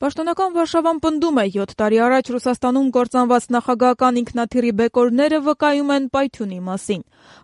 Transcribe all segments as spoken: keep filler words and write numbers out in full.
Պաշտոնական Վարշավան պնդում է, յոթ տարի առաջ Ռուսաստանում կործանված նախագահական ինքնաթիռի բեկորները վկայում են պայթյունի մասին։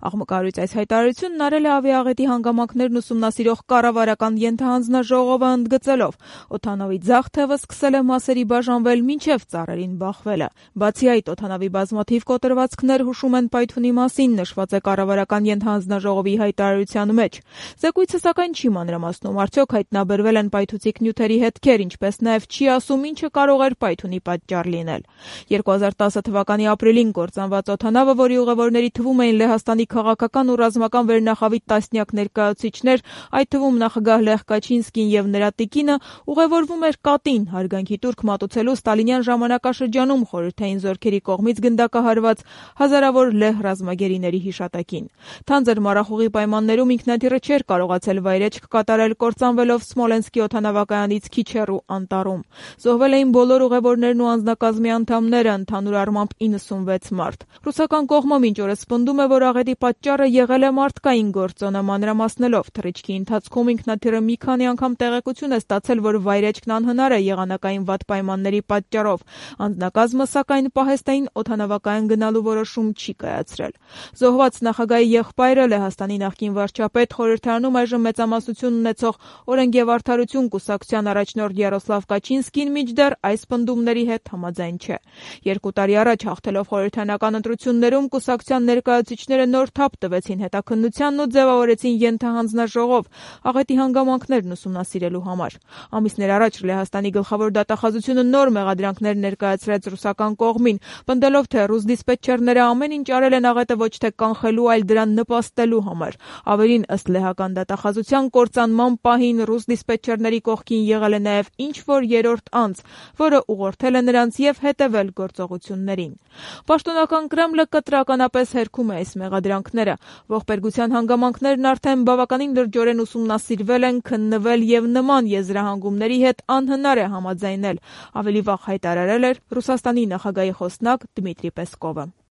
Աղմկահարույց այս հայտարարությունն արել է ավիաաղետի հանգամանքներն ուսումնասիրող կառավարական ենթահանձնաժողովը, ընդգծելով՝ օդանավի ձախ թևը սկսել է մասերի բաժանվել մինչև ծառերին բախվելը։ Բացի այդ, օդանավի բազմաթիվ կոտրվածքներ հուշում են պայթյունի մասին, նշված է կառավարական ենթահանձնաժողովի հայտարարության մեջ։ Զեկույցը սակայն չի մանրամասնում, արդյոք հայտնաբերվել են պայթուցիկ նյութերի հետքեր, ինչպես նաև չի ասում, ինչը կարող էր պայթյունի պատճառ լինել։ երկու հազար տասը թվականի ապրիլին կործանված օդանավը, որի ուղևորների թվում էին Լեհաստանի քաղաքական ու ռազմական վերնախավի տասնյակ ներկայացուցիչներ, այդ թվում նախագահ Լեխ Կաչինսկին եւ նրա տիկինը, ուղևորվում էր Կատին, հարգանքի տուրք մատուցելու ստալինյան ժամանակաշրջանում խորհրդային զորքերի կողմից գնդակահարված հազարավոր լեհ ռազմագերիների հիշատակին։ Թանձր մառախուղի պայմաններում ինքնաթիռը չէր կարողացել վայրէջք կատարել, կործանվելով Սմոլենսկի օդանավակայանից քիչ հեռու անտառում։ Զոհվել էին բոլոր ուղևորներն ու անձնակազմի անդամները, ընդհանուր առմամբ իննսունվեց մարդ։ Ռուսական կողմը մինչ օրս պնդում է, որ աղետի պատճառը եղել է մարդկային գործոնը, մանրամասնելով թռիչքի ընթացքում ինքնաթիռը մի քանի անգամ տեղեկություն է ստացել, որ վայրեջքն անհնար է եղանակային վատ պայմանների պատճառով։ Անձնակազմը, սակայն, պահեստային օդանավակայան գնալու որոշում չի կայացրել։ Զոհված նախագահի եղբայրը, Լեհաստանի նախկին վարչապետ, խորհրդարանում այժմ մեծամասնություն ունեցող «Օրենք եւ արդարություն» կուսակցության առաջնորդ Յարոսլավ Կաչինսկին մինչդեռ այս պնդումների հետ համաձայն չէ։ Երկու տարի առաջ հաղթելով խորհրդարանական ընտրություններում կուսակցության ներկայացուցիչները նոր թափ տվեցին հետաքննությանն ու ձևավորեցին ենթահանձնաժողով աղետի հանգամանքներն ուսումնասիրելու համար։ Ամիսներ առաջ Լեհաստանի գլխավոր դատախազությունը նոր մեղադրանքներ ներկայացրեց ռուսական կողմին, պնդելով, թե ռուս դիսպետչերները ամեն ինչ արել են աղետը ոչ թե կանխելու, այլ դրան նպաստելու համար։ Ավելին, ըստ լեհական դատախազության, կործանման պահին ռուս դիսպետչերների կողքին եղել է նաև ինչ-որ երրորդ անձ, որը ուղղորդել է նրանց եւ հետեւել գործողություններին։ Պաշտոնական Կրեմլը կտրականապես հերքում է այս մեղադրանքները։ Ողբերգության հանգամանքներն արդեն բավականին լրջորեն ուսումնասիրվել են, քննվել եւ նման եզրահանգումների հետ անհնար է համաձայնել, ավելի վաղ հայտարարել էր Ռուսաստանի նախագահի խոսնակ Դմիտրի Պեսկովը։